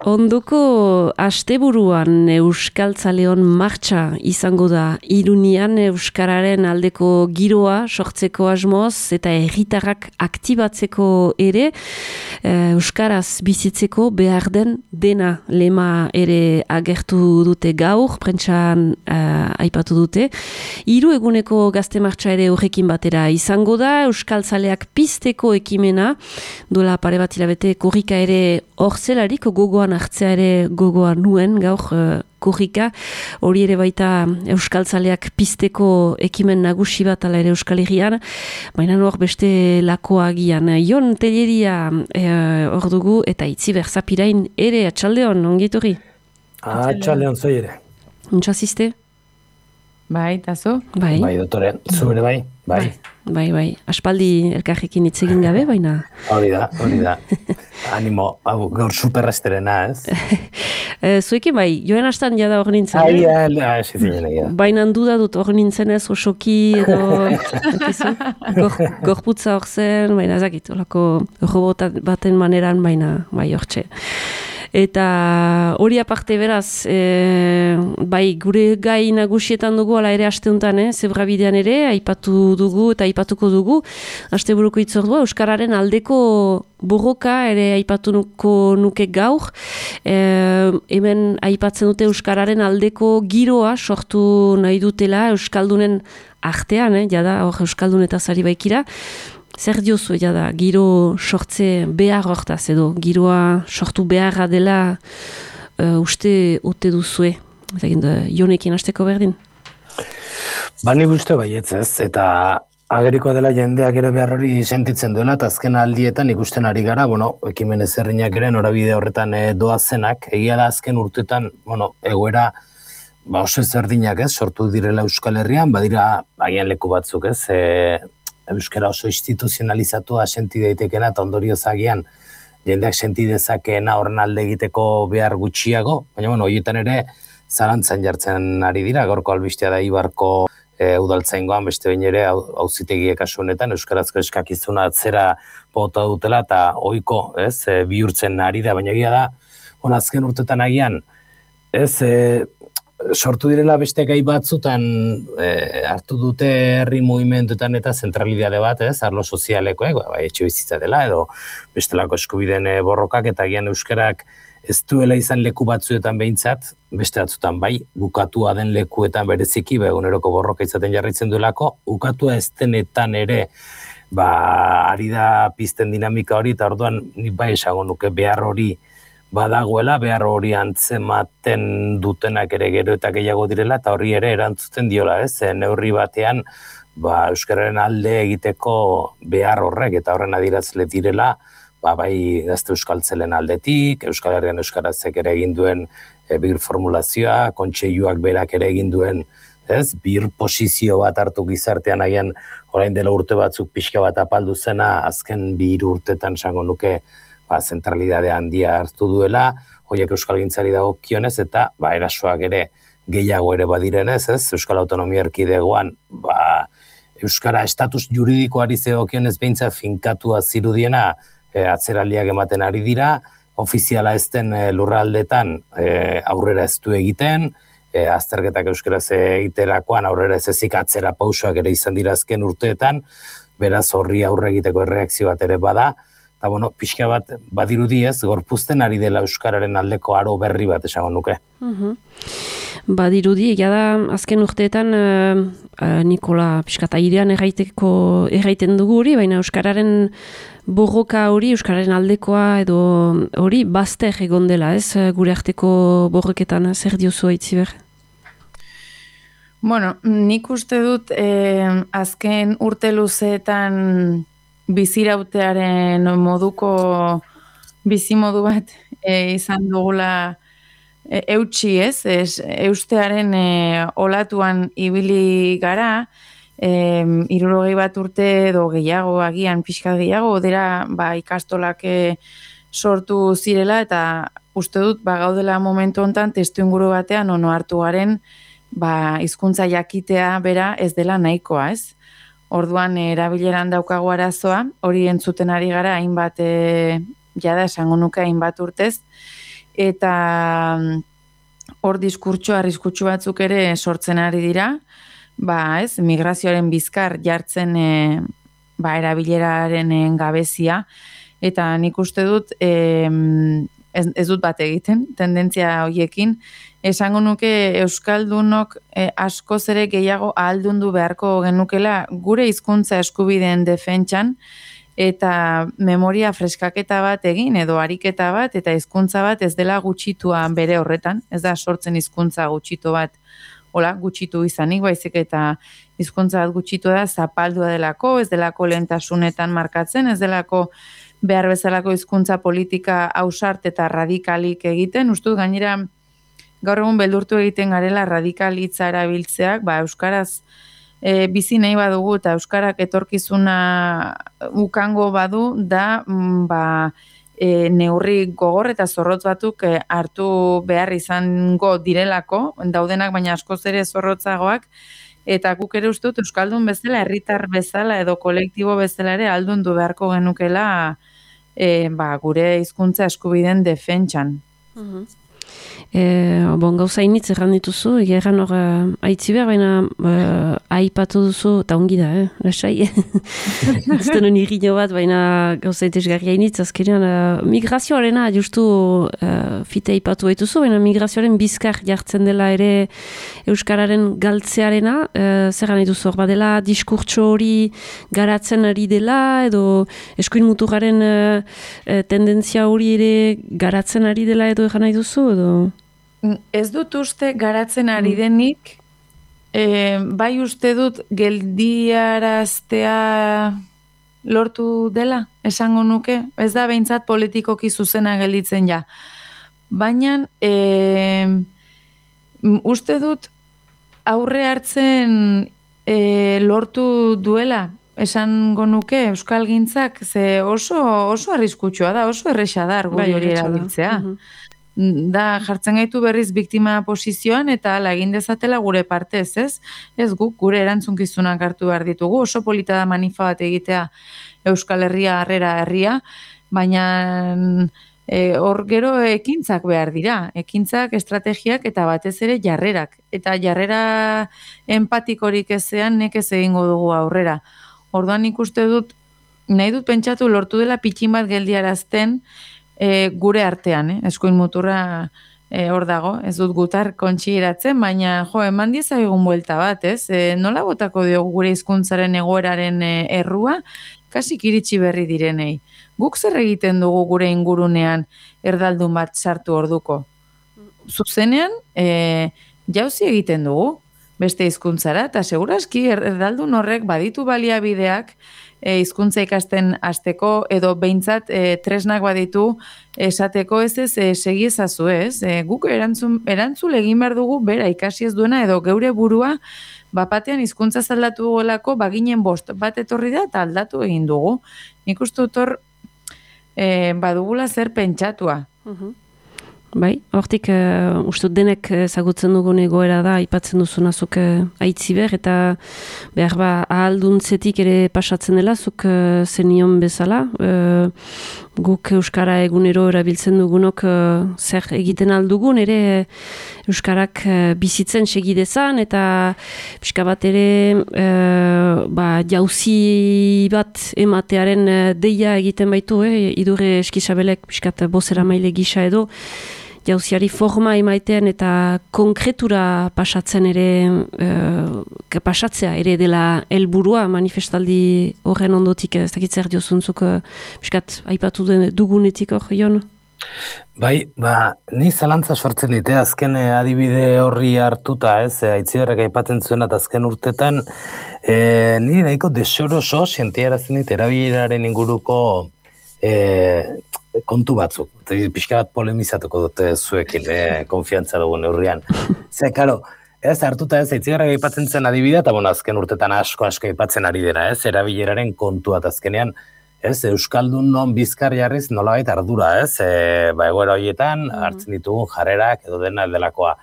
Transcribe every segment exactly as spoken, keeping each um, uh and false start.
Ondoko asteburuan Euskaltzaleon martxa izango da Irunian Euskararen aldeko giroa sortzeko asmoz eta herritarrak aktibatzeko ere Euskaraz bizitzeko behar den dena lema ere agertu dute gaur, prentsan uh, aipatu dute. Hiru eguneko gazte martxa ere horrekin batera izango da, Euskaltzaleak pizteko ekimena, dola pare bat hilabete korrika ere hor zelarik gogoan hartzea ere gogoa nuen gaur uh, korrika, hori ere baita Euskaltzaleak pizteko ekimen nagusi bat ala ere Euskal Herrian, baina hor beste lakoa agian. Jon Telleria hor uh, dugu eta Itziber Zapirain ere atxaldeon, ongitorri? Atxaldeon zoi ere. Untxazizte? Bai, eta zu? Bai, bai dotore, zu ere bai, bai. Bai, bai, aspaldi elkarrekin hitz egin gabe, baina... Hori da, hori da. Animo, hau, gaur superresterena, ez? Zuekin bai, joan astan jada hor nintzen, eh? Ai, ai, ez zinen egia. Baina duda dut hor nintzen ez, osoki edo... Gorputza hor zen, baina ezakit, horako robot baten maneran, baina bai hortxe. Eta hori aparte beraz, e, bai gure gai nagusietan dugu, ala ere asteuntan, eh? Zebrabidean ere, aipatu dugu eta aipatuko dugu, asteburuko itzordua, Euskararen aldeko borroka ere aipatuko nuke gaur, e, hemen aipatzen dute Euskararen aldeko giroa sortu nahi dutela Euskaldunen artean, eh? Jada hor Euskaldun eta zari baikira, zer diozu da, giro sortze behar hortaz edo, giroa sortu beharra dela uh, uste ote duzue? Jonekin hasteko berdin? Ba, nik uste baietz ez, eta ageriko dela jendeak ere behar hori sentitzen duela, eta azken aldietan ikusten ari gara, bueno, ekimen ezerrinak ere norabide horretan e, doazenak, egia da azken urtetan, bueno, egoera ba, oso ezerdinak ez, sortu direla Euskal Herrian, badira agian leku batzuk ez, e, Euskara oso instituzionalizatua senti daitekena eta ondorioz agian jendeak senti dezakeena horren alde egiteko behar gutxiago, baina bueno, horietan ere zalantzan jartzen ari dira, gaurko albistea da Ibarko e, udaltzaingoan beste behin ere auzitegiek kasu honetan euskarazko eskakizuna atzera bota dutela eta ohiko, ez, e, bihurtzen ari da, baina egia da, on azken urtetan agian, ez, e, sortu direla beste gai batzutan e, hartu dute herri mugimenduetan eta zentralidade bat, ez, arlo sozialekoek, bai, etxe bizitza dela, edo bestelako eskubideen borrokak, eta agian euskarak ez duela izan leku batzuetan behintzat, beste batzutan bai, bukatua den lekuetan bereziki, ba, eguneroko borroka izaten jarraitzen duelako, bukatua ez denetan ere, ba, ari da pizten dinamika hori, eta orduan, nik bai esango nuke behar hori, badagoela, behar hori antzematen dutenak ere gero eta gehiago direla, eta horri ere erantzuten diola, ez? Neurri batean, ba, Euskararen alde egiteko behar horrek, eta horren adierazle direla, ba, bai gazte euskaltzelen aldetik, Euskal Herrian euskarazek ere egin duen e, bir formulazioa, kontseiluak berak ere egin duen, ez? Bir posizio bat hartu gizartean agian, orain dela urte batzuk pixka bat apaldu zena, azken bi hiru urtetan esango nuke, ba, zentralidade handia hartu duela, horiek euskalgintzari dagokionez eta ba, erasoak ere gehiago ere badirenez, ez? Euskal Autonomia Erkidegoan, ba, euskara estatus juridikoari zegokionez behintzat finkatua zirudiena e, atzeraldiak ematen ari dira, ofiziala ez den e, lurraldetan e, aurrera ez du egiten, e, azterketak euskaraz egiterakoan aurrera ez ezik atzera pausoak ere izan dira azken urteetan, beraz horri aurre egiteko erreakzio bat ere bada, eta, bueno, pixka bat badirudi ez, gorpuzten ari dela Euskararen aldeko aro berri bat esango nuke. Uh-huh. Badirudi, egia da, azken urteetan uh, uh, Nikola pixka airean erraiteko erraiten dugu hori, baina Euskararen borroka hori, Euskararen aldekoa edo hori bazter egon dela, ez, gure arteko borroketan, zer diozu Itziber? Bueno, nik uste dut eh, azken urte luzeetan bizirautearen moduko bizimodu bat e, izan dugula e, eutxi ez, ez eustearen e, olatuan ibili gara, e, hirurogei bat urte edo gehiago, agian pixka gehiago, dira ba, ikastolak e, sortu zirela eta uste dut ba, gaudela momentu hontan testu inguru batean ono hartu garen ba, hizkuntza jakitea bera ez dela nahikoa ez. Orduan erabileran daukagu arazoa, hori entzuten ari gara hainbat e, jada esango nuke hainbat urtez, eta hor diskurtso arriskutsu batzuk ere sortzen ari dira, ba, ez, migrazioaren bizkar jartzen e, ba, erabileraren gabezia, eta nik uste dut e, ez, ez dut bat egiten, tendentzia horiekin, esango nuke Euskaldunok e, askoz ere gehiago ahaldundu beharko genukela gure hizkuntza eskubideen defentsan, eta memoria freskaketa bat egin edo ariketa bat eta hizkuntza bat ez dela gutxitua bere horretan, ez da sortzen hizkuntza gutxitu bat, hola, gutxitu izanik, baizik eta hizkuntza bat gutxitu da zapaldua delako, ez delako lehentasunetan markatzen, ez delako behar bezalako hizkuntza politika ausart eta radikalik egiten, ustut gainera gaur egun beldurtu egiten garela radikal hitza erabiltzeak, ba, euskaraz E, bizi nahi badugu eta euskarak etorkizuna ukango badu da ba, e, neurri gogor eta zorrotz batzuk e, hartu behar izango direlako, daudenak baina askoz ere zorrotzagoak, eta guk ere uste dut euskaldun bezala, herritar bezala edo kolektibo bezala ere aldundu beharko genukela e, ba, gure hizkuntza eskubideen defentsan. Uh-huh. E, bon, gauza initz erran dituzu, egeran hor uh, aitzi behar, baina uh, aipatu duzu, eta ongi da, eh, lasai. Ez denun irriño bat, baina gauza etesgarria initz, azkenean uh, migrazioarena, justu uh, fite aipatu baituzu, baina migrazioaren bizkar jartzen dela ere euskararen galtzearena, uh, zer gana dituzu hor badela, diskurtso hori garatzen ari dela, edo eskuin muturraren uh, tendentzia hori ere garatzen ari dela, edo egan nahi duzu, edo... Ez dut uste garatzen ari denik, e, bai uste dut geldiaraztea lortu dela, esango nuke, ez da behintzat politikoki zuzena gelditzen ja. Baina e, uste dut aurre hartzen e, lortu duela, esango nuke euskalgintzak, ze oso, oso arriskutsua da, oso erresa da argudio hori erabiltzea. Da jartzen gaitu berriz biktima posizioan eta ala egin dezatela gure partez, ez? Ez guk gure erantzunkizunak hartu behar ditugu, oso polita da manifa bat egitea Euskal Herria harrera herria, baina e, hor gero ekintzak behar dira, ekintzak, estrategiak eta batez ere jarrerak. Eta jarrera empatikorik ezean nekez egingo dugu aurrera. Orduan ikuste dut, nahi dut pentsatu lortu dela pitxin bat geldiarazten, E, gure artean, eh? Eskuin muturra e, hor dago, ez dut gutar kontxiratzen, baina jo, eman diezagun buelta bat, ez? E, nola botako diogu gure hizkuntzaren egoeraren e, errua, kasik iritsi berri direnei. Guk zer egiten dugu gure ingurunean erdaldun bat sartu orduko? Zuzenean, e, jauzi egiten dugu, beste hizkuntzara, eta seguraski erdaldun horrek baditu baliabideak, E, hizkuntza ikasten hasteko edo behintzat e, tresnak baditu esateko ez ez e, segi ezazu ez. E, guk erantzun, erantzul egin behar dugu bera ikasi ez duena edo geure burua bapatean hizkuntza zaldatu golako baginen bost bat etorri da eta aldatu egin dugu. Nik uste dut hor e, badugula zer pentsatua. Uh-huh. Bai, hortik uh, uste denek ezagutzen dugun egoera da, aipatzen duzuna zuk uh, aitziber, eta behar ba ahalduntzetik ere pasatzen dela, zuk uh, zenion bezala. Uh, guk Euskara egunero erabiltzen dugunok uh, zer egiten aldugun, ere Euskarak uh, bizitzen segidezan, eta pixka bat ere uh, ba, jauzi bat ematearen uh, deia egiten baitu, eh? Idurre Eskizabelek pixkat bozera maile gisa edo, jauziari forma emaitean eta konkretura pasatzen ere, e, pasatzea ere dela helburua manifestaldi horren ondotik, ez dakit zer diozuntzuk, biskat, aipatu dugunetik hor, Jon? Bai, ba, ni zalantza sortzen dite, azken adibide horri hartuta, ez, aitziberrek aipatzen zuen eta azken urtetan, e, ni nahiko desoroso sentiarazten dit erabileraren inguruko e, kontu batzuk. Pixka bat polemizatuko dute zuekin, eh, konfiantza dugun neurrian. Ze, karo, ez hartuta ez, aitzigarra aipatzen zen adibidea, eta bueno, azken urtetan asko asko aipatzen ari dena, ez, erabileraren kontua, eta azkenean, ez, Euskaldun non bizkar jarriz nolabait ardura, ez, e, ba, egoera horietan, hartzen ditugun jarrerak edo dena delakoa.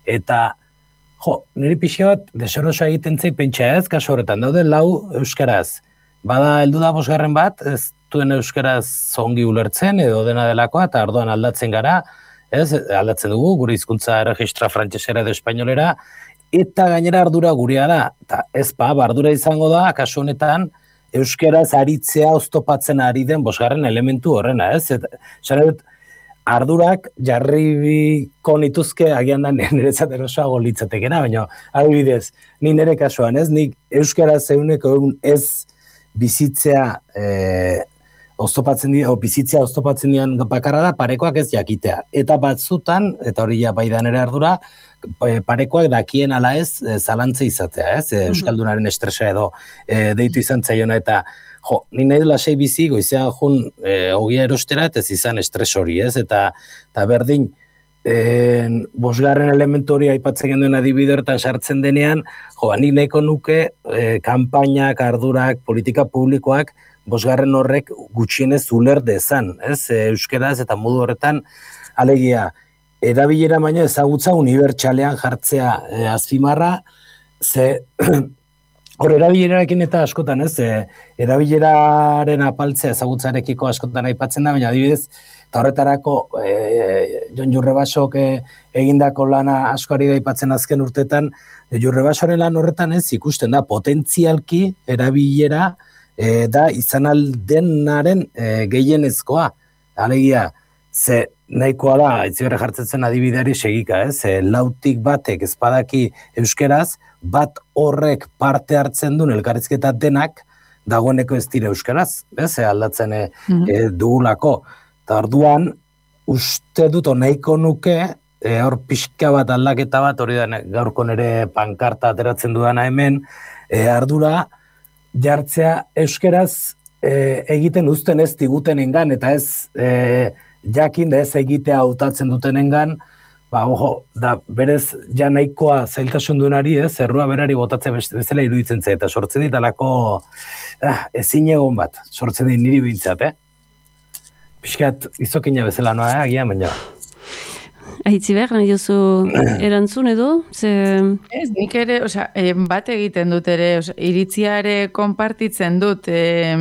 Eta, jo, niri pixka bat desoroso egiten zei pentsa ez, kaso horretan, daude lau euskaraz. Bada, heldu da bosgarren bat, ez duen euskaraz zongi ulertzen edo dena delakoa, eta orduan aldatzen gara, ez, aldatzen dugu, gure hizkuntza erregistra frantsesera edo espainolera, eta gainera ardura gurea da, eta ez pa, ardura izango da, kasu honetan, euskeraz aritzea oztopatzen ari den bosgarren elementu horrena, ez? Eta, dut, ardurak jarribiko nituzke agian da niretzat erosoago litzatekena, baina adibidez, ni nire kasuan, ez? Nik euskaraz eguneko egun ez bizitzea e, oztopatzen dira, o bizitzea oztopatzen dian bakarra da, parekoak ez jakitea. Eta batzutan, eta hori ja bai da nire ardura, parekoak dakien ala ez e, zalantza izatea, ez? E, euskaldunaren estresa edo e, deitu izan zaiona eta jo, ni nahi dela sei bizi, goizean jun e, ogia erostera, eta ez izan estres hori, ez? Eta, eta berdin, e, bosgarren elementu hori aipatzen genduen adibidertan sartzen denean, jo, nik nahiko nuke e, kanpainak, ardurak, politika publikoak, bosgarren horrek gutxienez uler dezan, ez? E, euskeraz eta modu horretan, alegia, erabilera baina ezagutza unibertsalean jartzea e, azpimarra, ze... Hor, erabilerarekin eta askotan, ez, e, erabileraren apaltzea ezagutzarekiko askotan aipatzen da, baina adibidez, eta horretarako e, Jon Jurrebasok e, egindako lana askoari da aipatzen azken urtetan, Jurrebasoren lan horretan ez ikusten da, potentzialki erabilera e, da izan aldenaren e, gehienezkoa. Alegia, ze nahikoa da, itziberre jartzen adibideari segika, ez, e, lautik batek ezpadaki euskeraz, bat horrek parte hartzen duen elkarrizketa denak dagoeneko ez dira euskaraz, ez, aldatzen e, mm-hmm. e, dugulako. Eta orduan, uste dut nahiko nuke, e, hor pixka bat aldaketa bat, hori da gaurko nere pankarta ateratzen dudana hemen, e, ardura jartzea euskaraz e, egiten uzten ez digutenengan, eta ez e, jakin da ez egitea hautatzen dutenengan, ba, ojo, da, berez, ja nahikoa zailtasun duenari, ez, errua berari botatzen bezala iruditzen zait, eta sortzen dit alako ah, ezin egon bat, sortzen dit niri bintzat, eh? Piskat, izokina bezala noa, eh, agian, baina. Aitziber, nahi duzu erantzun edo? Ze... Ez, nik ere, osea, bat egiten dut ere, osea, iritziare konpartitzen dut, eh,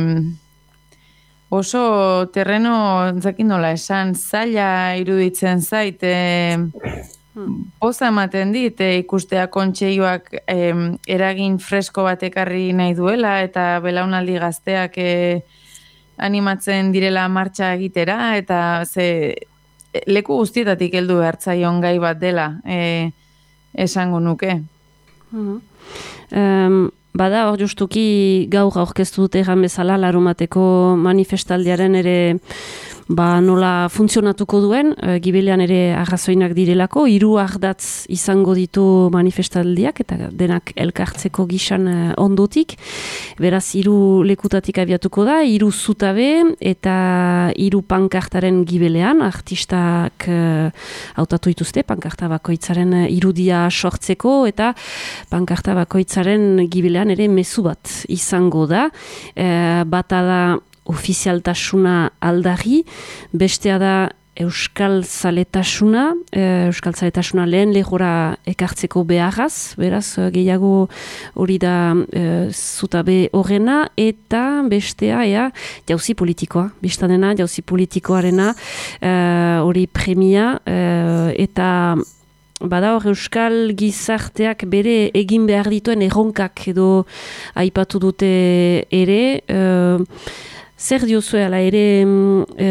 oso terreno, entzakin nola esan, zaila iruditzen zait, e, poza ematen dit, e, ikustea kontseioak e, eragin fresko bat ekarri nahi duela, eta belaunaldi gazteak e, animatzen direla martxa egitera, eta ze, leku guztietatik heldu behartzaion gai bat dela, e, esango nuke. Mm-hmm. Um... Bada, hor justuki gaur aurkeztu dute egan bezala larumateko manifestaldiaren ere ba, nola funtzionatuko duen, e, gibelean ere arrazoinak direlako, hiru ardatz izango ditu manifestaldiak eta denak elkartzeko gisan e, ondotik. Beraz, hiru lekutatik abiatuko da, hiru zutabe eta hiru pankartaren gibelean, artistak e, hautatu dituzte, pankarta bakoitzaren irudia sortzeko eta pankarta bakoitzaren gibelean ere mezu bat izango da. E, bata da ofizialtasuna aldarri, bestea da euskal zaletasuna, e, euskal zaletasuna lehen lehora ekartzeko beharraz, beraz gehiago hori da e, zutabe horrena, eta bestea ea, jauzi politikoa, biztanena jauzi politikoarena, e, hori premia, e, eta bada hor euskal gizarteak bere egin behar dituen erronkak edo aipatu dute ere, e, zer diozue ala ere e,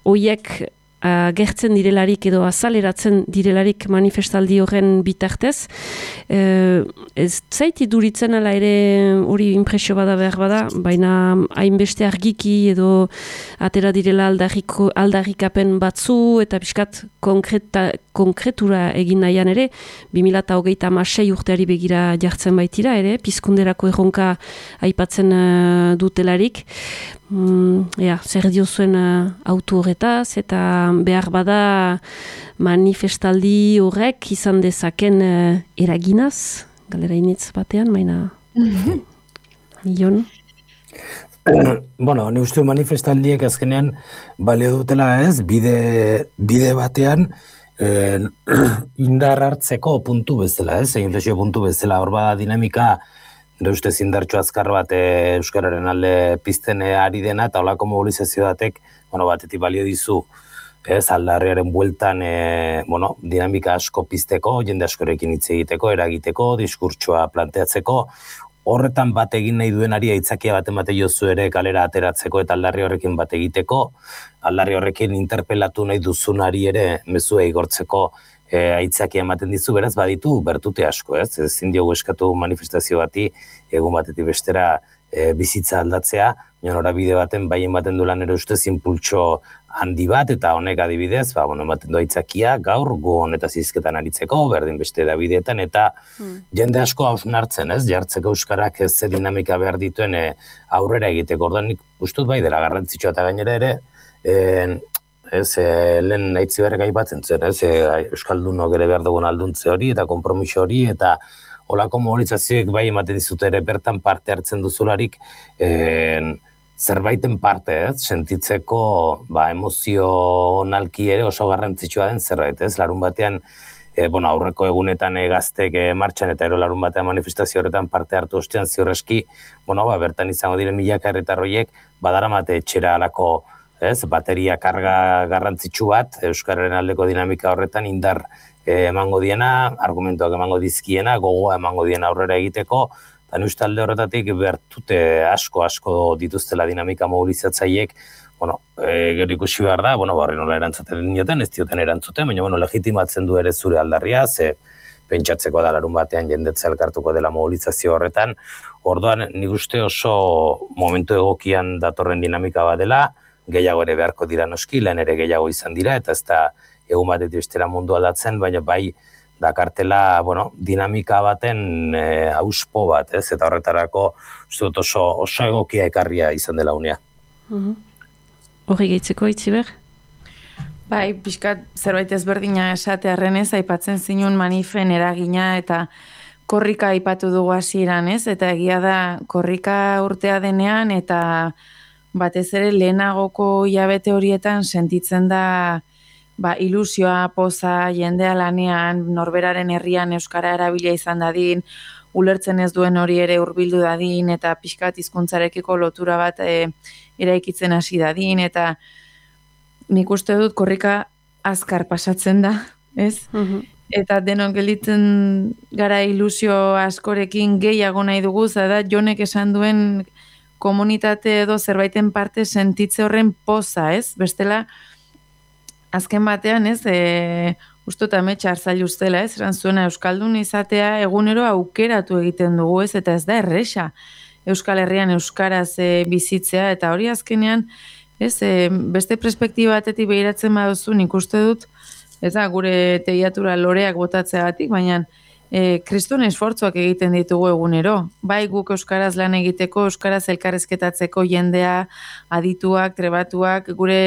oiek agertzen direlarik edo azaleratzen direlarik manifestaldi horren bitartez. E, ez zaiti duritzen ala ere hori impresio bada behar bada, baina hainbeste argiki edo atera direla aldarriko, aldarrikapen batzu eta pixkat konkreta, konkretura egin nahian ere, bi mila hogeita hamasei urteari begira jartzen baitira ere, pizkunderako erronka aipatzen uh, dutelarik. Mm, ja, zer diozuen uh, auto horretaz eta behar bada manifestaldi horrek izan dezaken uh, eraginaz, galera initz batean, maina Jon? Bueno, ni uste manifestaldiek azkenean balio dutela ez, bide, bide batean eh, indar hartzeko puntu bezala, ez, inflexio puntu bezala, hor bada dinamika, nire ustez indartxo azkar bat e, euskararen alde pizten ari dena, eta holako mobilizazio batek, bueno, batetik balio dizu ez, aldarriaren bueltan, e, bueno, dinamika asko pizteko, jende askorekin hitz egiteko, eragiteko, diskurtsoa planteatzeko, horretan bat egin nahi duenari aitzakia bat emate jozu ere kalera ateratzeko eta aldarri horrekin bat egiteko, aldarri horrekin interpelatu nahi duzunari ere mezua igortzeko e, aitzakia ematen dizu, beraz baditu bertute asko, ez? Ezin diogu eskatu manifestazio bati egun batetik bestera e, bizitza aldatzea, norabide baten bai ematen du lan ere ustez inpultso handi bat, eta honek adibidez, ba, bueno, ematen du aitzakia gaur gu honetaz hizketan aritzeko, berdin beste edabideetan, eta hmm. jende asko hausnartzen, ez, jartzeko euskarak ez ze dinamika behar dituen e, aurrera egiteko, orduan nik ustut bai dela garrantzitsua eta gainera ere, e, ez, e, lehen aitzi berrek aipatzen zen, ez, e, euskaldunok ere behar dugun alduntze hori, eta konpromiso hori, eta holako mobilizazioek bai ematen dizute ere bertan parte hartzen duzularik, e, zerbaiten parte, ez, sentitzeko ba, emozionalki ere oso garrantzitsua den zerbait, ez, larun batean, e, bueno, aurreko egunetan e, gaztek e, martxan eta ero larun batean manifestazio horretan parte hartu ostean ziurreski, bueno, ba, bertan izango diren milaka herritarroiek badaramate etxera alako, ez, bateria karga garrantzitsu bat, euskararen aldeko dinamika horretan indar e, emango diena, argumentuak emango dizkiena, gogoa emango diena aurrera egiteko, eta uste alde horretatik bertute asko-asko dituztela dinamika mobilizatzaiek, bueno, e, gero ikusi behar da, bueno, barri nola erantzuten dioten, ez dioten erantzuten, baina, bueno, legitimatzen du ere zure aldarria, ze pentsatzeko da larun batean jendetza elkartuko dela mobilizazio horretan, orduan nik uste oso momentu egokian datorren dinamika bat dela, gehiago ere beharko dira noski, lehen ere gehiago izan dira, eta ez da egun batetik bestera mundu aldatzen, baina bai, dakartela, bueno, dinamika baten e, auspo bat, ez? Eta horretarako uste dut oso, oso egokia ekarria izan dela unea. Uh-huh. Horri gehitzeko Itziber? Bai, pixkat zerbait ezberdina esatearren ez, aipatzen zinun manifen eragina eta korrika aipatu dugu hasieran, ez? Eta egia da korrika urtea denean eta batez ere lehenagoko hilabete horietan sentitzen da ba, ilusioa, poza, jendea lanean, norberaren herrian euskara erabilia izan dadin, ulertzen ez duen hori ere hurbildu dadin, eta pixkat hizkuntzarekiko lotura bat e, eraikitzen hasi dadin, eta nik uste dut korrika azkar pasatzen da, ez? Uh-huh. Eta denok gelditzen gara ilusio askorekin gehiago nahi dugu, zada Jonek esan duen komunitate edo zerbaiten parte sentitze horren poza, ez? Bestela, azken batean, ez, e, usto eta metxa hartzaile ustela, ez, eran zuena Euskaldun izatea egunero aukeratu egiten dugu, ez, eta ez da erresa Euskal Herrian Euskaraz e, bizitzea, eta hori azkenean, ez, e, beste perspektiba batetik behiratzen baduzu, nik uste dut, ez da, gure teiatura loreak botatzeagatik, baina e, kriston esfortzuak egiten ditugu egunero. Bai guk euskaraz lan egiteko, euskaraz elkarrezketatzeko jendea, adituak, trebatuak, gure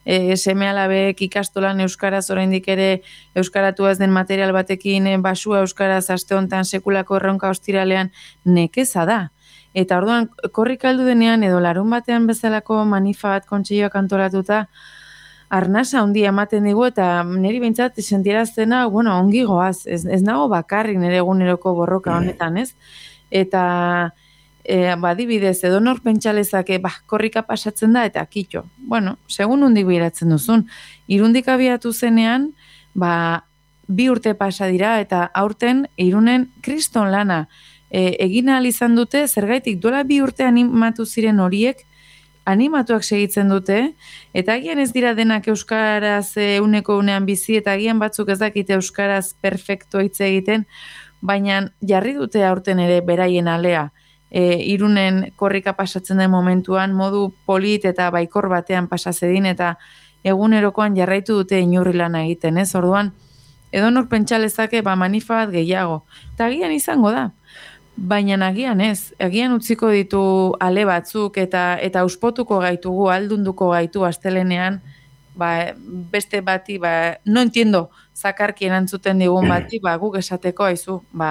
e, seme-alabek ikastolan euskaraz oraindik ere euskaratu ez den material batekin e, basua euskaraz aste hontan sekulako erronka ostiralean nekeza da. Eta orduan korrik aldu denean edo larun batean bezalako manifa bat kontseiloak antolatuta arnasa handia ematen digu eta niri behintzat sentieraztena, bueno, ongi goaz, ez, ez nago bakarrik nire eguneroko borroka honetan, ez? Eta e, badibidez, edo nor pentsalezake, bah, korrika pasatzen da eta kitxo. Bueno, segun hundik bihiratzen duzun. Irundik abiatu zenean, ba, bi urte pasa dira eta aurten irunen kriston lana e, egin ahal izan dute, zergaitik duela bi urte animatu ziren horiek, animatuak segitzen dute, eta agian ez dira denak euskaraz euneko unean bizi, eta agian batzuk ez dakite euskaraz perfecto hitz egiten, baina jarri dute aurten ere beraien alea, e, irunen korrika pasatzen den momentuan, modu polit eta baikor batean pasazedin, eta egunerokoan jarraitu dute inurri lana egiten, ez? Orduan, edonor pentsalezake ba manifa bat gehiago, eta agian izango da. Baina agian ez, agian utziko ditu ale batzuk eta eta auspotuko gaitugu, aldunduko gaitu astelenean, ba, beste bati, ba, no entiendo, zakarki erantzuten digun bati, ba, guk esateko aizu, ba,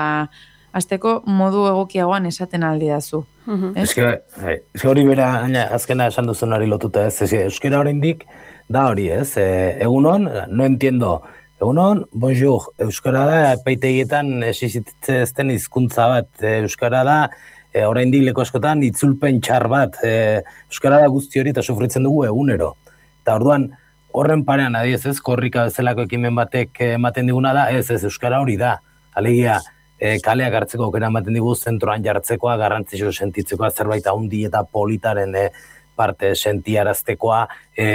azteko modu egokiagoan esaten aldidazu. Uh-huh. Ez que hori bera, azkena esan duzunari lotuta ez, ez euskera oraindik da hori ez, e, egunon, no entiendo, egunon, bonjour, euskara da, epaitegietan existitzen ezten hizkuntza bat, euskara da, e, oraindik leku askotan itzulpen txar bat, e, euskara da guzti hori eta sufritzen dugu egunero. Eta orduan, horren parean adiez ez, korrika bezalako ekimen batek ematen diguna da, ez ez euskara hori da, alegia, e, kaleak hartzeko aukera ematen digu zentroan jartzekoa, garrantzitsu sentitzekoa, zerbait handi eta politaren e, parte sentiaraztekoa, e,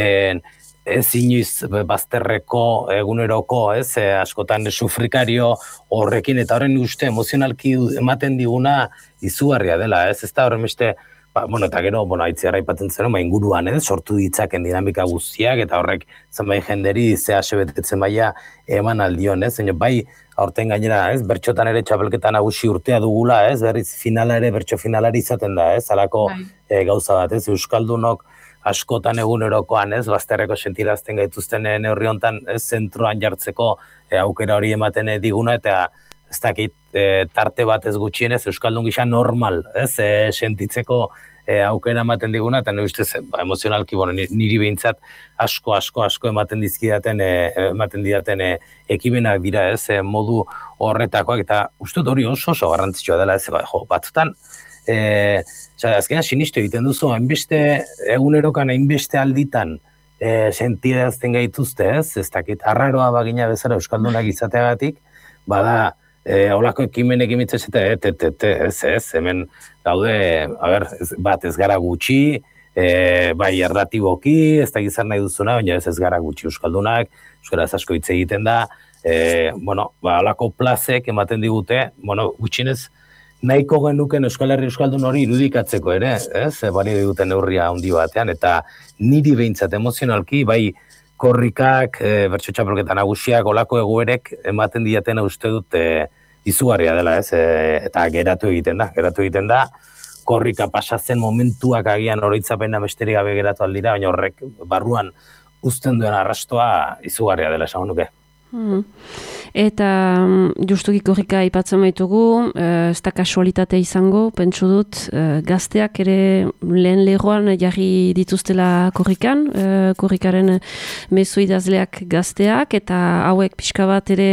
ez inoiz bazterreko eguneroko, ez, e, askotan sufrikario horrekin, eta horren uste emozionalki ematen diguna izugarria dela, ez, ez da horren beste, ba, bueno, eta gero, bueno, aitziarra aipatzen zen, ba, inguruan, ez, sortu ditzaken dinamika guztiak, eta horrek zenbait jenderi ze ase betetzen baia eman aldion, ez, baina bai, aurten gainera, ez, bertxotan ere txapelketa nagusi urtea dugula, ez, berriz finala ere, bertxo finalari izaten da, ez, alako e, gauza bat, ez, euskaldunok askotan egunerokoan, ez, bazterreko sentirazten gaituzten neurri hontan, ez, zentroan jartzeko e, aukera hori ematen diguna, eta ez dakit, e, tarte bat ez gutxienez, euskaldun gisa normal, ez, e, sentitzeko e, aukera ematen diguna, eta nire ustez, ba, emozionalki, bueno, niri behintzat asko, asko, asko ematen dizkidaten, e, ematen didaten e, ekimenak dira, ez, e, modu horretakoak, eta uste hori oso oso garrantzitsua dela, ez, ba, jo, batzutan, e, azkenean sinistu egiten duzu, hainbeste egunerokan hainbeste alditan e, sentirazten gaituzte, ez? Ez dakit, arraroa bagina bezala euskaldunak izateagatik, bada, e, holako ekimenek imitzez eta et, et, et, ez, ez, hemen gaude, a ber, ez, bat ez gara gutxi, e, bai erratiboki, ez da gizar nahi duzuna, baina ez ez gara gutxi euskaldunak, euskaraz asko hitz egiten da, e, bueno, ba, holako plazek ematen digute, bueno, gutxinez, nahiko genuken Euskal Herri Euskaldun hori irudikatzeko ere, ez? Bari duten neurria handi batean, eta niri behintzat emozionalki, bai korrikak, e, bertso txapelketa nagusiak, olako egoerek ematen diatena uste dut e, izugarria dela, ez? E, eta geratu egiten da, geratu egiten da, korrika pasatzen momentuak agian oroitzapena besterik gabe geratu aldira, baina horrek barruan uzten duen arrastoa izugarria dela, esan nuke. Hmm. Eta justuki korrika aipatzen baitugu, ez da kasualitate izango, pentsu dut, gazteak ere lehen leroan jarri dituztela korrikan, korrikaren mezu idazleak gazteak, eta hauek pixka bat ere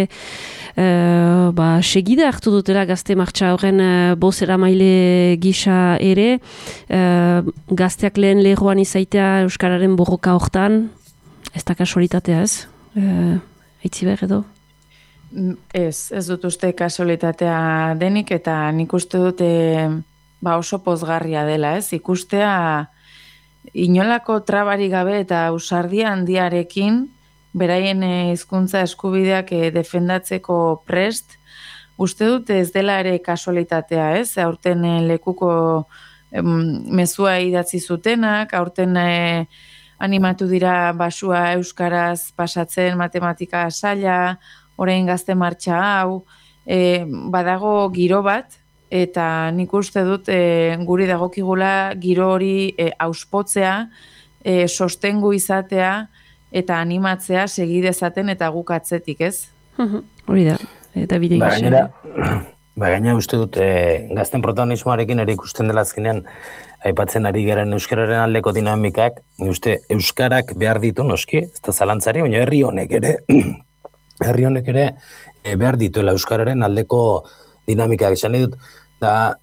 Uh, ba, segida hartu dutela gazte martxa horren uh, bozera maile gisa ere, uh, gazteak lehen leroan izaitea euskararen borroka hortan, ez da kasualitatea ez? Uh, Eitzi behar edo? Ez, ez dut uste kasualitatea denik, eta nik uste dute ba oso pozgarria dela, ez? Ikustea inolako trabari gabe eta ausardia handiarekin, beraien hizkuntza eskubideak defendatzeko prest, uste dut ez dela ere kasualitatea, ez? Aurten lekuko mezua idatzi zutenak, aurten animatu dira basua euskaraz pasatzen matematika saila, orain gazte martxa hau, e, badago giro bat, eta nik uste dut e, guri dagokigula giro hori e, auspotzea, e, sostengu izatea, eta animatzea segi dezaten eta guk atzetik, ez? Hori da, eta bide ba, gainera, ba, gainera uste dut, e, gazten protagonismoarekin ere ikusten dela azkenean, aipatzen ari garen euskararen aldeko dinamikak, uste, euskarak behar ditu noski, ez da zalantzari, baina herri honek ere, herri honek ere e, behar dituela euskararen aldeko dinamikak. Esan dut, da,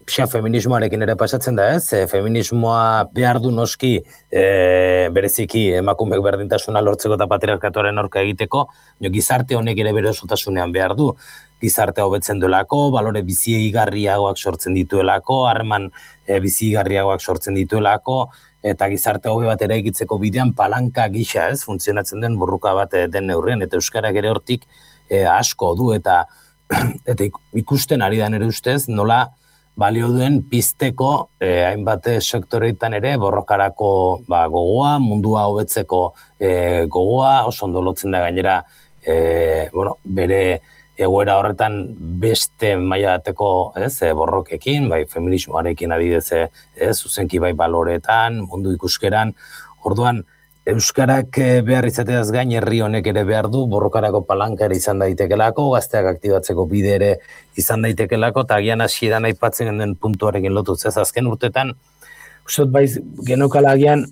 xa feminismoarekin ere pasatzen da ez, e, feminismoa behar du noski e, bereziki emakumeek berdintasuna lortzeko eta patriarkatuaren aurka egiteko, jo, gizarte honek ere bere osotasunean behar du. Gizarte hobetzen duelako, balore bizigarriagoak sortzen dituelako, harreman e, bizigarriagoak sortzen dituelako, eta gizarte hobe bat ere egitzeko bidean palanka gisa ez, funtzionatzen den burruka bat den neurrien, eta euskarak ere hortik e, asko du, eta eta ikusten ari da nire ustez, nola balio duen pizteko eh, hainbat sektoreetan ere borrokarako ba, gogoa, mundua hobetzeko eh, gogoa, oso ondo lotzen da gainera eh, bueno, bere egoera horretan beste mailateko ez, borrokekin, bai feminismoarekin adidez ez, zuzenki bai baloretan, mundu ikuskeran, orduan euskarak behar izateaz gain herri honek ere behar du, borrokarako palanka ere izan daitekelako, gazteak aktibatzeko bide ere izan daitekelako, eta agian hasieran aipatzen den puntuarekin lotuz. Ez azken urtetan, uste dut baiz genokala agian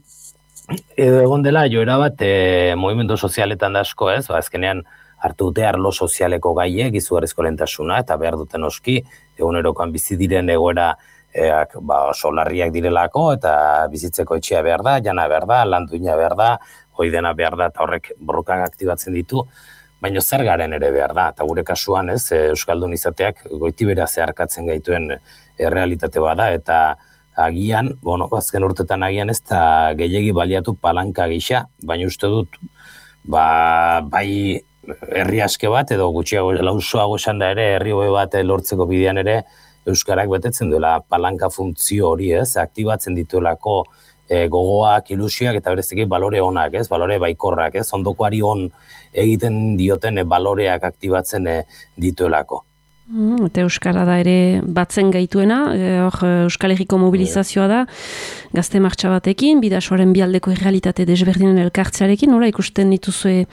edo egon dela joera bat e, movimendu sozialetan da asko ez, ba, azkenean hartu dute arlo sozialeko gaiek, izugarrizko lehentasuna, eta behar duten oski, egunerokoan bizi diren egoera Eak, ba, oso larriak direlako eta bizitzeko etxea behar da, jana behar da, lan duina behar da, hoi dena behar da, eta horrek borrokak aktibatzen ditu, baina zer garen ere behar da, eta gure kasuan ez, Euskaldun izateak goitibera zeharkatzen gaituen errealitate bada, eta agian, bueno, azken urtetan agian ez da gehiegi baliatu palanka gisa, baina uste dut, ba, bai herri aske bat, edo gutxiago lausoago esan da ere, herri hobe bat lortzeko bidean ere, Euskarak betetzen duela palanka funtzio hori, ez, aktibatzen dituelako e, gogoak, ilusioak, eta bereziki balore onak, ez, balore baikorrak, ez, ondokoari on egiten dioten e, baloreak aktibatzen e, dituelako. Mm, eta Euskara da ere batzen gaituena, e, hor Euskal Herriko mobilizazioa da, gazte martxa batekin, bidasoaren bialdeko errealitate desberdinen elkartzearekin, nola ikusten dituzue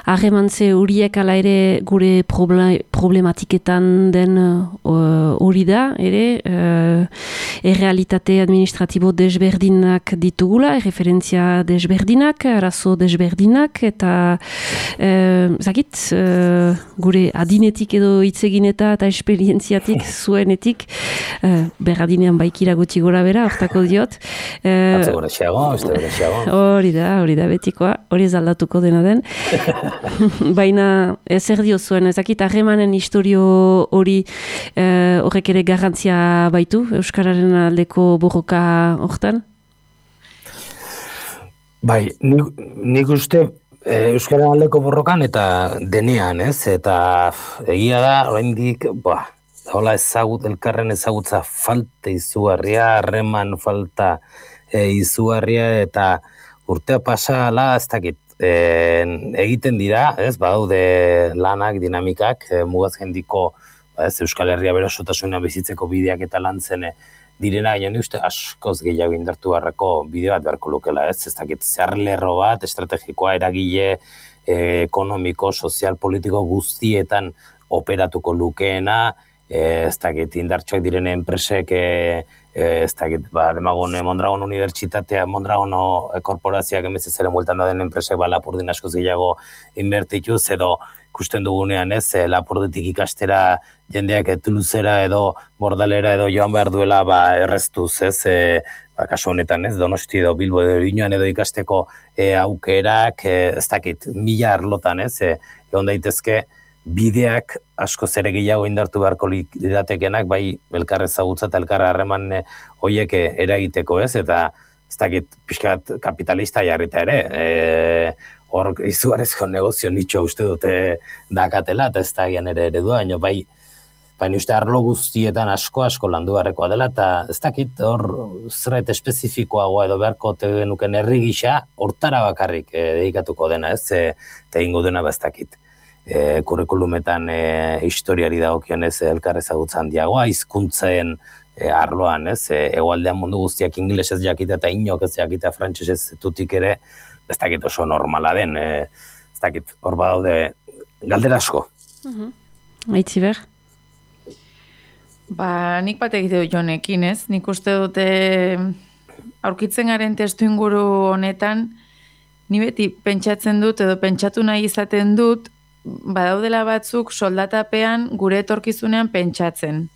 harremantze horiek ala ere gure proble- problematiketan den hori uh, da, ere uh, errealitate administratibo desberdinak ditugula, erreferentzia desberdinak, arazo desberdinak, eta uh, zakit, uh, gure adinetik edo hitzegin eta eta esperientziatik zuenetik, uh, berradinean baikira gutxi gora bera, hortako diot. Uh, Atze gora xeago, beste gora xeago. Hori da, hori da, betikoa, hori ez aldatuko dena den. Baina ezer dio zuen, ezakit harremanen historio hori uh, horrek ere garrantzia baitu, Euskararen aldeko borroka hortan? Bai, nik, nik uste Euskaren aldeko borrokan eta denean, ez? Eta egia da, oraindik, ba, hola ezagut, elkarren ezagutza falta izugarria, harreman falta e, izugarria, eta urtea pasala, ez dakit, e, egiten dira, ez? Badaude lanak, dinamikak, e, mugaz jendiko, ba, ez, Euskal Herria berosotasunean bizitzeko bideak eta lantzen direna, gaina uste askoz gehiago indartu beharreko bide bat beharko lukela, ez? Ez dakit, zer lerro bat, estrategikoa, eragile, eh, ekonomiko, sozial, politiko guztietan operatuko lukeena, eh, ez dakit, indartsuak diren enpresek, eh, eh, ez dakit, ba, demagun Mondragon Unibertsitatea, Mondragon korporazioak emezez ere multan da den enpresek, ba, Lapurdin askoz gehiago inbertituz, edo ikusten dugunean, ez, Lapurditik ikastera jendeak Toulousera edo Bordalera edo joan behar duela ba, erreztuz, ez, e, ba, kasu honetan, ez, Donosti edo Bilbo edo Inoan edo ikasteko e, aukerak, e, ez dakit, mila arlotan, ez, e, egon daitezke bideak asko zere gehiago indartu beharko liratekenak, bai elkar ezagutza eta elkar harreman e, hoiek eragiteko, ez, eta ez dakit pixkat kapitalista jarrita ere, e, hor izugarezko negozio nitxo uste dute dakatela, eta ez da gian ere eredua, baina bai, baina uste arlo guztietan asko asko landu beharrekoa dela, eta ez dakit hor zerbait espezifikoagoa edo beharko tegenuken herri gisa, hortara bakarrik e, dedikatuko dena, ez, e, eta ingo dena ba ez dakit. E, kurrikulumetan e, historiari dagokionez elkar ezagutza handiagoa, hizkuntzen e, arloan, ez, e, hegoaldean mundu guztiak ingelesez jakita eta inok ez jakita frantsesez tutik ere, ez dakit oso normala den, e, ez dakit hor badaude galdera asko. Uh-huh. Aitzi ber? Ba, nik bat egite dut jonekin, ez? Nik uste dute aurkitzen garen testu inguru honetan, ni beti pentsatzen dut edo pentsatu nahi izaten dut, badaudela batzuk soldatapean gure etorkizunean pentsatzen.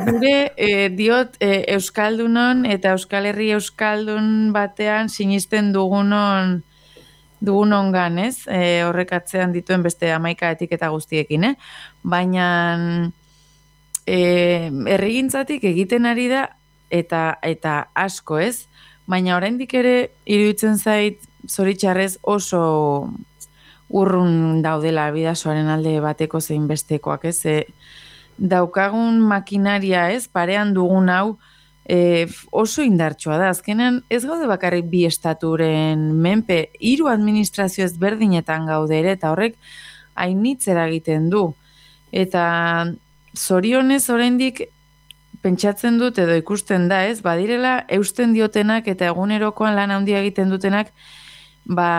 Gure eh, diot eh, Euskaldunon eta Euskal Herri Euskaldun batean sinisten dugunon dugunon gan, ez? E, horrek atzean dituen beste hamaika etiketa guztiekin, eh? Baina e, herrigintzatik egiten ari da eta eta asko, ez? Baina oraindik ere iruditzen zait zoritxarrez oso urrun daudela bidasoaren alde bateko zein bestekoak, ez? E, daukagun makinaria, ez, parean dugun hau e, oso indartsua da. Azkenean ez gaude bakarrik bi estaturen menpe, hiru administrazio ezberdinetan gaude ere, eta horrek hainitzera egiten du. Eta zorionez oraindik pentsatzen dut edo ikusten da, ez, badirela eusten diotenak eta egunerokoan lan handia egiten dutenak, ba,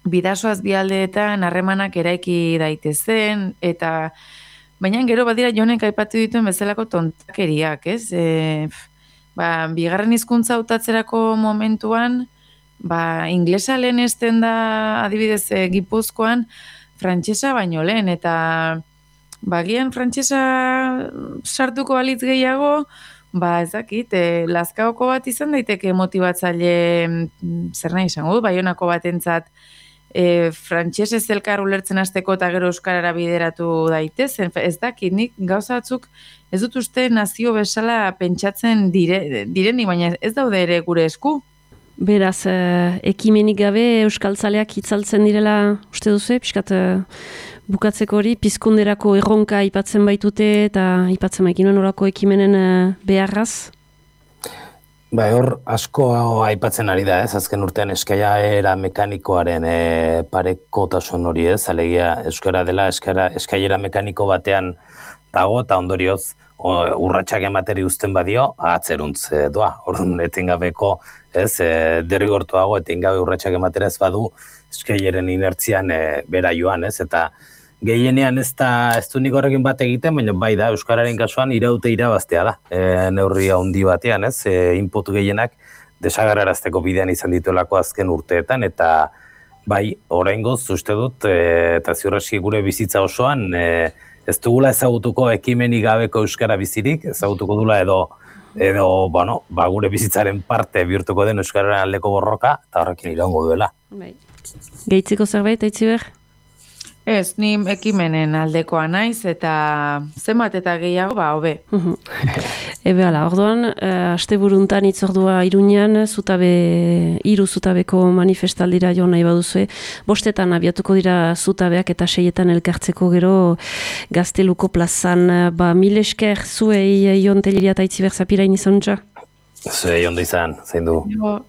bidasoaz bialdeetan harremanak eraiki daitezen, eta baina gero badira jonek aipatu dituen bezalako tontakeriak, ez? E, ba, bigarren hizkuntza hautatzerako momentuan, ba, inglesa lehen esten da adibidez e, Gipuzkoan, frantsesa baino lehen, eta bagian frantsesa sartuko balitz gehiago, ba ezakit, e, Lazkaoko bat izan daiteke motibatzaile, zer nahi izango, Baionako batentzat, e, frantsesez elkar ulertzen hasteko eta gero euskarara bideratu daitezen, ez dakit, nik gauza batzuk ez dut uste nazio bezala pentsatzen dire, direnik, baina ez daude ere gure esku. Beraz, eh, ekimenik gabe euskaltzaleak itzaltzen direla uste duzu, pixkat eh, bukatzeko hori, pizkunderako erronka aipatzen baitute eta aipatzen baikinuen orako ekimenen eh, beharraz? Ba, hor asko aipatzen ari da, ez? Azken urtean eskailera mekanikoaren e, parekotasun hori, ez? Alegia euskara dela eskara, eskailera mekaniko batean dago eta ondorioz urratsak emateri uzten badio, atzeruntz e, doa. Orduan etengabeko, ez, e, derrigortuago etengabe urratsak ematera ez badu eskaileren inertzian e, bera joan, ez? Eta gehienean ez da, ez du nik horrekin bat egiten, baina bai da, euskararen kasuan iraute irabaztea da. E, neurri handi batean, ez? E, input gehienak desagarrarazteko bidean izan dituelako azken urteetan, eta bai, oraingoz uste dut, e, eta ziurreski gure bizitza osoan, e, ez dugula ezagutuko ekimenik gabeko euskara bizirik, ezagutuko dula edo, edo bueno, ba, gure bizitzaren parte bihurtuko den euskararen aldeko borroka, eta horrekin iraungo duela. Bai. Gehitzeko zerbait, Aitziber? Ez, ni ekimenen aldekoa naiz, eta zenbat eta gehiago, ba, hobe. Ebe ala, orduan, uh, aste buruntan itzordua Iruñean, zutabe, iru zutabeko manifestaldira jo nahi baduzue, bostetan abiatuko dira zutabeak eta seietan elkartzeko gero Gazteluko plazan, ba, mil esker zuei Jon Telleria eta Aitziber Zapirain izan ja? Zuei ondo izan, zein du. Jo.